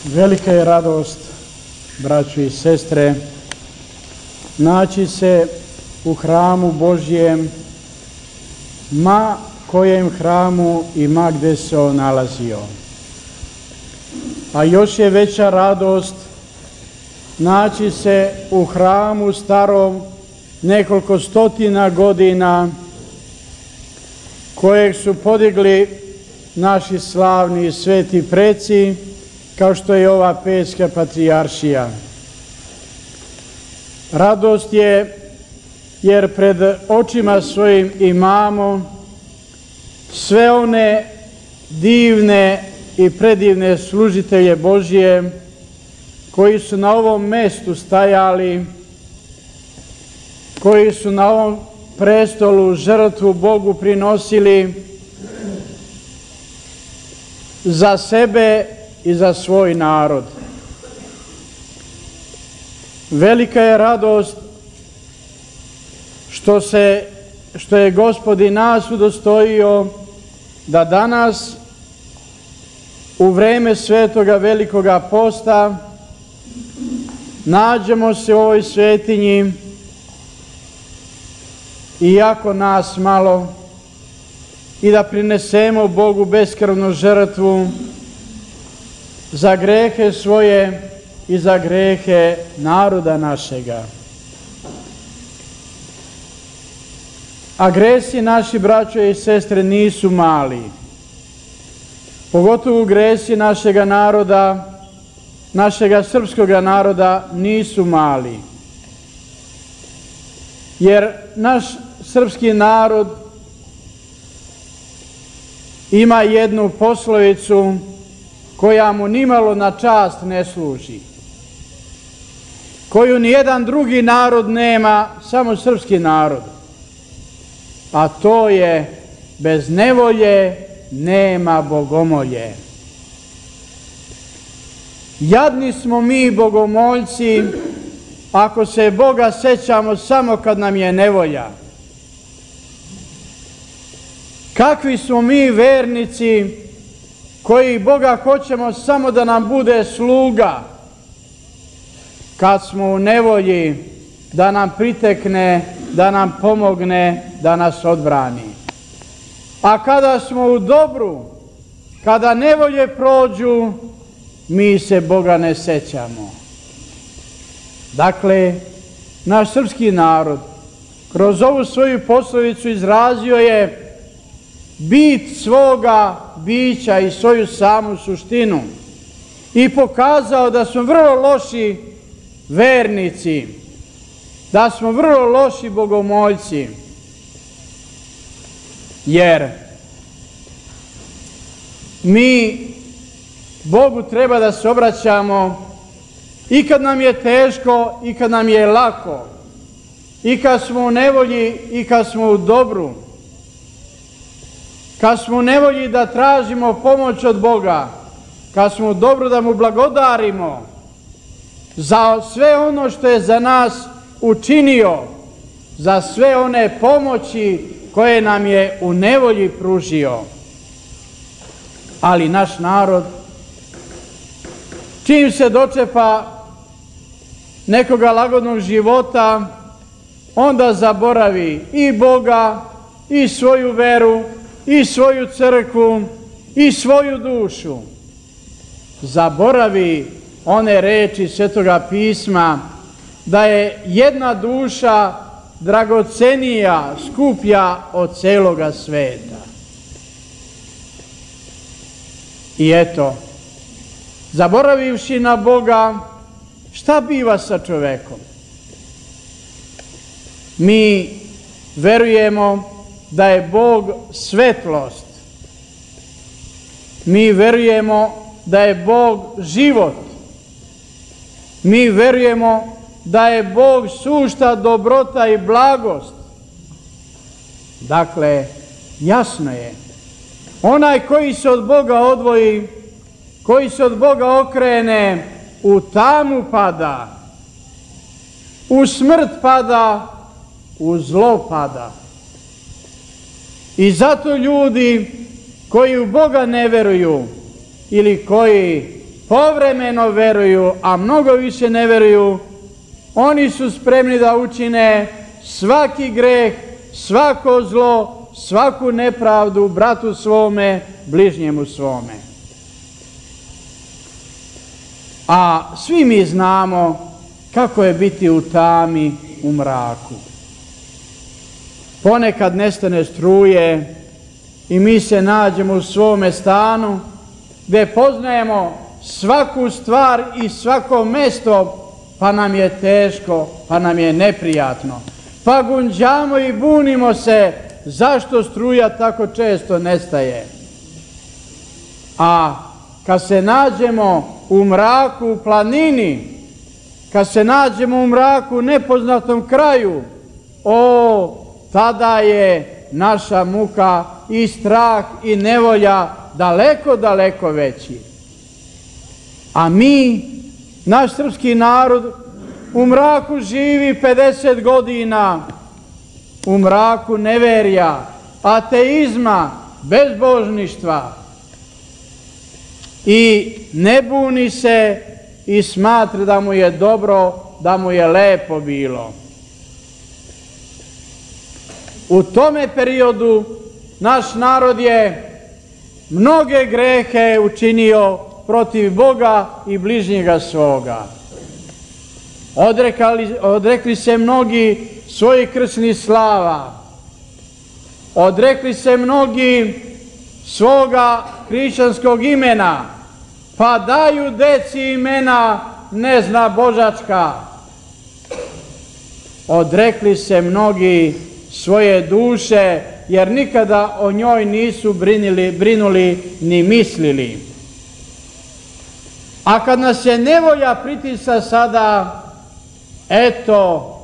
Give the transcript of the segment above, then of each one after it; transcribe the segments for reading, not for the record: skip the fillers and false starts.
Velika je radost, braćo i sestre, naći se u hramu Božjem, ma kojem hramu i ma gde se on nalazio. A još je veća radost naći se u hramu starom nekoliko stotina godina, kojeg su podigli naši slavni i sveti preci, kao što je ova Pećka patrijaršija. Radost je jer pred očima svojim imamo sve one divne i predivne služitelje Božje koji su na ovom mestu stajali, koji su na ovom prestolu žrtvu Bogu prinosili za sebe i za svoj narod. Velika je radost što je Gospod i nas udostojio da danas u vreme svetoga velikoga posta nađemo se u ovoj svetinji, iako nas malo, i da prinesemo Bogu beskrvnu žrtvu za grehe svoje i za grehe naroda našega. A gresi naši, braćo i sestre, nisu mali. Pogotovo gresi našega naroda, našega srpskoga naroda nisu mali. Jer naš srpski narod ima jednu poslovicu koja mu nimalo na čast ne služi, koju nijedan drugi narod nema, samo srpski narod. A to je: bez nevolje nema bogomolje. Jadni smo mi bogomoljci ako se Boga sećamo samo kad nam je nevolja. Kakvi smo mi vernici koji Boga hoćemo samo da nam bude sluga, kad smo u nevolji da nam pritekne, da nam pomogne, da nas odbrani. A kada smo u dobru, kada nevolje prođu, mi se Boga ne sećamo. Dakle, naš srpski narod kroz ovu svoju poslovicu izrazio je bit svoga bića i svoju samu suštinu i pokazao da smo vrlo loši vernici, da smo vrlo loši bogomoljci, jer mi Bogu treba da se obraćamo i kad nam je teško i kad nam je lako, i kad smo u nevolji i kad smo u dobru. Kad smo u nevolji da tražimo pomoć od Boga, kad smo u dobru da mu blagodarimo za sve ono što je za nas učinio, za sve one pomoći koje nam je u nevolji pružio. Ali naš narod, čim se dočepa nekoga lagodnog života, onda zaboravi i Boga, i svoju veru, i svoju crkvu, i svoju dušu. Zaboravi one reči Svetoga pisma da je jedna duša dragocenija, skuplja od celoga sveta. I eto, zaboravivši na Boga, šta biva sa čovekom? Mi verujemo da je Bog svetlost. Mi verujemo da je Bog život. Mi verujemo da je Bog sušta dobrota i blagost. Dakle, jasno je, onaj koji se od Boga odvoji, koji se od Boga okrene, u tamu pada, u smrt pada, u zlo pada. I zato ljudi koji u Boga ne veruju ili koji povremeno veruju, a mnogo više ne veruju, oni su spremni da učine svaki greh, svako zlo, svaku nepravdu bratu svome, bližnjemu svome. A svi mi znamo kako je biti u tami, u mraku. Ponekad nestane struje i mi se nađemo u svome stanu gdje poznajemo svaku stvar i svako mesto, pa nam je teško, pa nam je neprijatno. Pa gunđamo i bunimo se zašto struja tako često nestaje. A kad se nađemo u mraku u planini, kad se nađemo u mraku u nepoznatom kraju, tada je naša muka i strah i nevolja daleko, daleko veći. A mi, naš srpski narod, u mraku živi 50 godina, u mraku neverja, ateizma, bezbožništva. I ne buni se i smatra da mu je dobro, da mu je lepo bilo. U tome periodu naš narod je mnoge grehe učinio protiv Boga i bližnjega svoga. Odrekli se mnogi svojih krsnih slava. Odrekli se mnogi svoga hrišćanskog imena, pa daju deci imena ne zna božačka. Odrekli se mnogi svoje duše, jer nikada o njoj nisu brinuli ni mislili. A kad nas je nevolja pritisa sada, eto,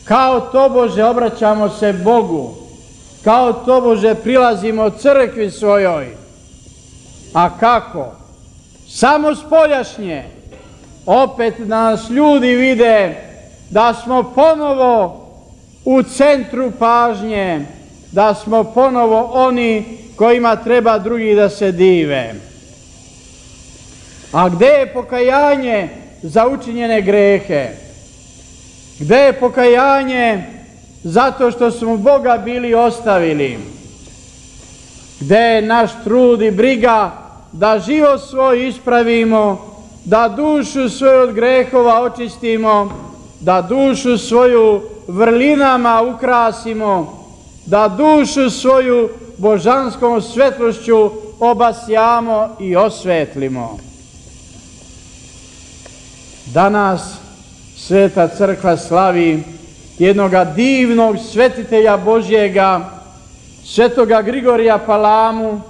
kao tobože obraćamo se Bogu, kao tobože prilazimo crkvi svojoj. A kako? Samo spoljašnje. Opet nas ljudi vide da smo ponovo u centru pažnje, da smo ponovo oni kojima treba drugi da se dive. A gde je pokajanje za učinjene grehe? Gde je pokajanje zato što smo Boga bili ostavili? Gde je naš trud i briga da život svoj ispravimo, da dušu svoju od grehova očistimo, da dušu svoju vrlinama ukrasimo, da dušu svoju božanskom svetlošću obasjamo i osvetlimo? Danas Sveta crkva slavi jednoga divnog svetitelja Božjega, svetoga Grigorija Palamu,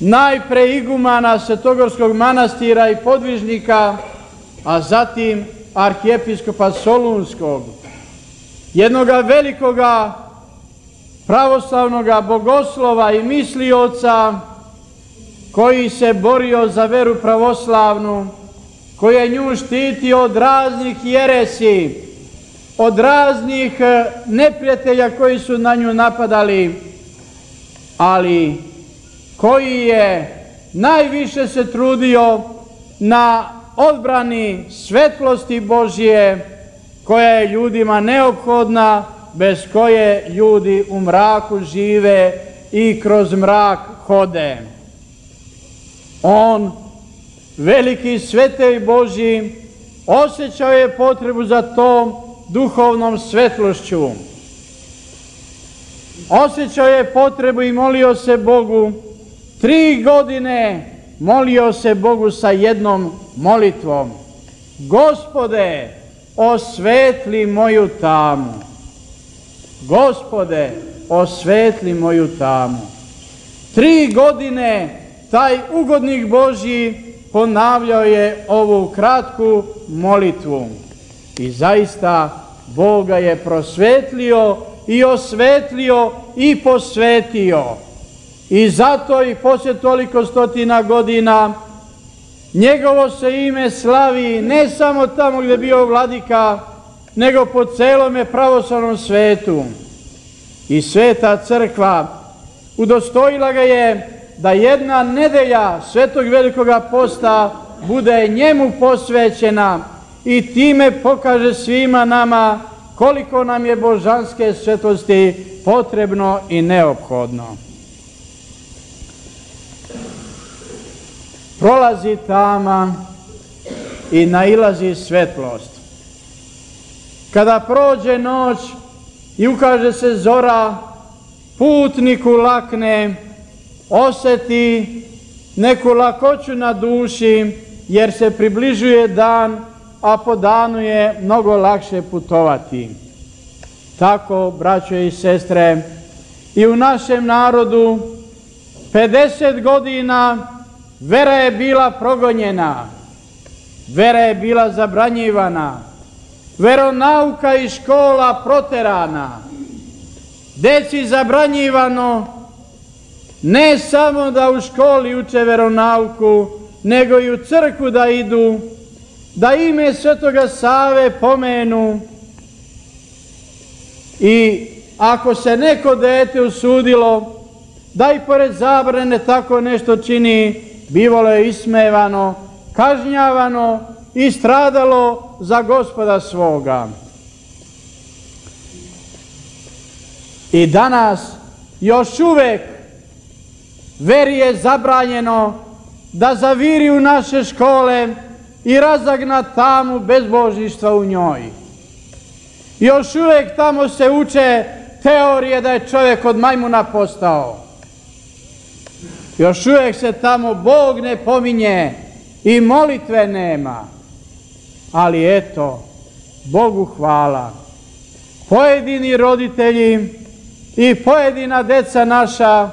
najpre igumana Svetogorskog manastira i podvižnika, a zatim arhijepiskopa Solunskog, jednoga velikoga pravoslavnoga bogoslova i mislioca koji se borio za veru pravoslavnu, koji je nju štitio od raznih jeresi, od raznih neprijatelja koji su na nju napadali, ali koji je najviše se trudio na odbrani svetlosti Božje, koja je ljudima neophodna, bez koje ljudi u mraku žive i kroz mrak hode. On, veliki svetitelj Božji, osjećao je potrebu za tom duhovnom svetlošću. Osjećao je potrebu i molio se Bogu. 3 godine molio se Bogu sa jednom molitvom: Gospode, osvetli moju tamu. Gospode, osvetli moju tamu. 3 godine taj ugodnik Božji ponavljao je ovu kratku molitvu. I zaista Bog ga je prosvetlio i osvetlio i posvetio. I zato i poslije toliko stotina godina njegovo se ime slavi ne samo tamo gdje je bio vladika, nego po celome pravoslavnom svetu. I Sveta crkva udostojila ga je da jedna nedelja Svetog Velikoga posta bude njemu posvećena i time pokaže svima nama koliko nam je božanske svetosti potrebno i neophodno. Prolazi tama i nailazi svetlost. Kada prođe noć i ukaže se zora, putniku lakne, oseti neku lakoću na duši, jer se približuje dan, a po danu je mnogo lakše putovati. Tako, braćo i sestre, i u našem narodu 50 godina vera je bila progonjena, vera je bila zabranjivana, veronauka i škola proterana, deci zabranjivano ne samo da u školi uče veronauku, nego i u crkvu da idu, da ime Svetoga Save pomenu, i ako se neko dete usudilo da i pored zabrane tako nešto čini, bivalo je ismevano, kažnjavano i stradalo za Gospoda svoga. I danas još uvek veri je zabranjeno da zaviri u naše škole i razagna tamu bezbožništva u njoj. Još uvek tamo se uče teorije da je čovjek od majmuna postao. Još uvek se tamo Bog ne pominje i molitve nema. Ali eto, Bogu hvala, pojedini roditelji i pojedina deca naša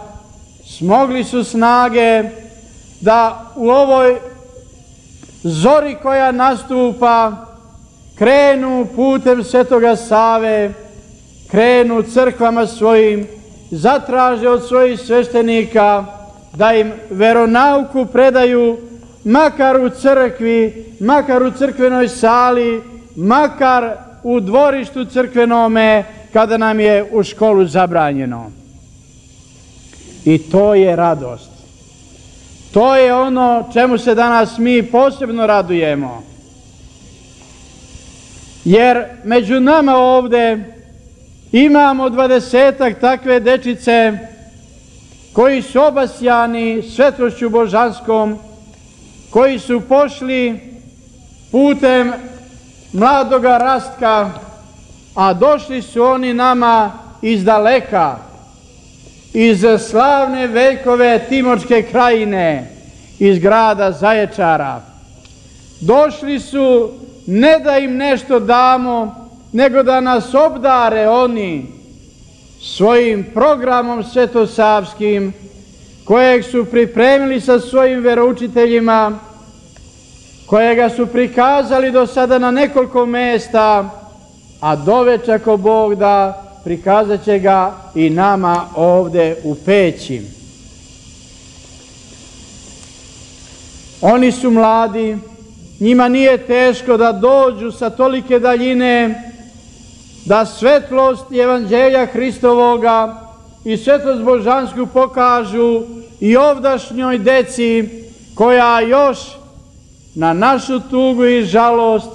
smogli su snage da u ovoj zori koja nastupa krenu putem Svetoga Save, krenu crkvama svojim, zatraže od svojih sveštenika da im veronauku predaju makar u crkvi, makar u crkvenoj sali, makar u dvorištu crkvenome, kada nam je u školu zabranjeno. I to je radost. To je ono čemu se danas mi posebno radujemo. Jer među nama ovde imamo 20-ak takve dečice koji su obasjani svetlošću božanskom, koji su pošli putem mladoga rastka, a došli su oni nama iz daleka, iz slavne veljkove Timočke krajine, iz grada Zaječara. Došli su ne da im nešto damo, nego da nas obdare oni svojim programom svetosavskim, kojeg su pripremili sa svojim veroučiteljima, kojega su prikazali do sada na nekoliko mesta, a doveče ako Bog da, prikazat će ga i nama ovde u Peći. Oni su mladi, njima nije teško da dođu sa tolike daljine, da svetlost Evanđelja Hristovoga i svetlost božansku pokažu i ovdašnjoj deci koja još na našu tugu i žalost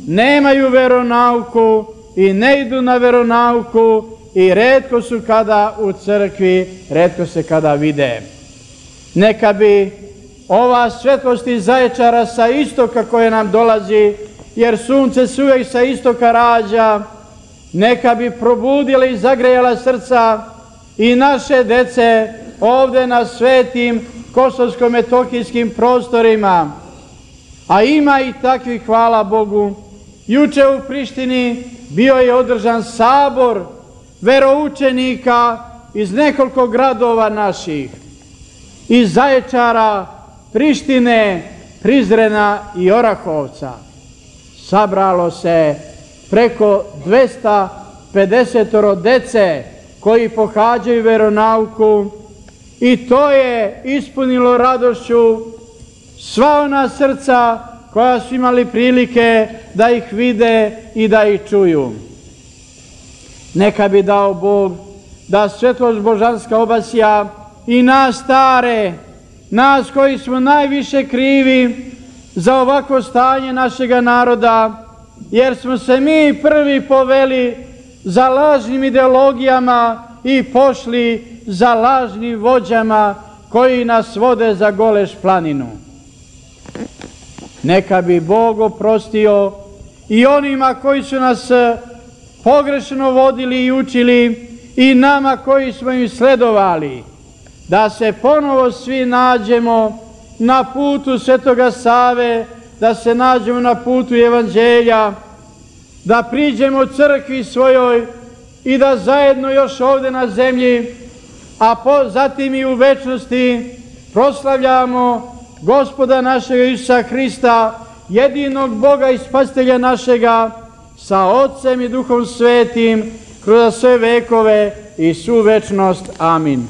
nemaju veronauku i ne idu na veronauku i retko su kada u crkvi, retko se kada vide. Neka bi ova svetlost iz Zaječara sa istoka koje nam dolazi, jer sunce se uvek sa istoka rađa, neka bi probudila i zagrejala srca i naše dece ovde na svetim kosovsko-metohijskim prostorima. A ima i takvih, hvala Bogu. Juče u Prištini bio je održan sabor veroučenika iz nekoliko gradova naših, iz Zaječara, Prištine, Prizrena i Orahovca. Sabralo se preko 250 dece koji pohađaju veronauku i to je ispunilo radošću sva ona srca koja su imali prilike da ih vide i da ih čuju. Neka bi dao Bog da svetlost božanska obasja i nas stare, nas koji smo najviše krivi za ovako stanje našega naroda, jer smo se mi prvi poveli za lažnim ideologijama i pošli za lažnim vođama koji nas vode za Goleš planinu. Neka bi Bog oprostio i onima koji su nas pogrešno vodili i učili i nama koji smo im sledovali, da se ponovo svi nađemo na putu Svetoga Save, da se nađemo na putu Evanđelja, da priđemo crkvi svojoj i da zajedno još ovde na zemlji, a zatim i u večnosti proslavljamo Gospoda našega Isusa Hrista, jedinog Boga i Spasitelja našega, sa Otcem i Duhom Svetim, kroz sve vekove i svu večnost. Amin.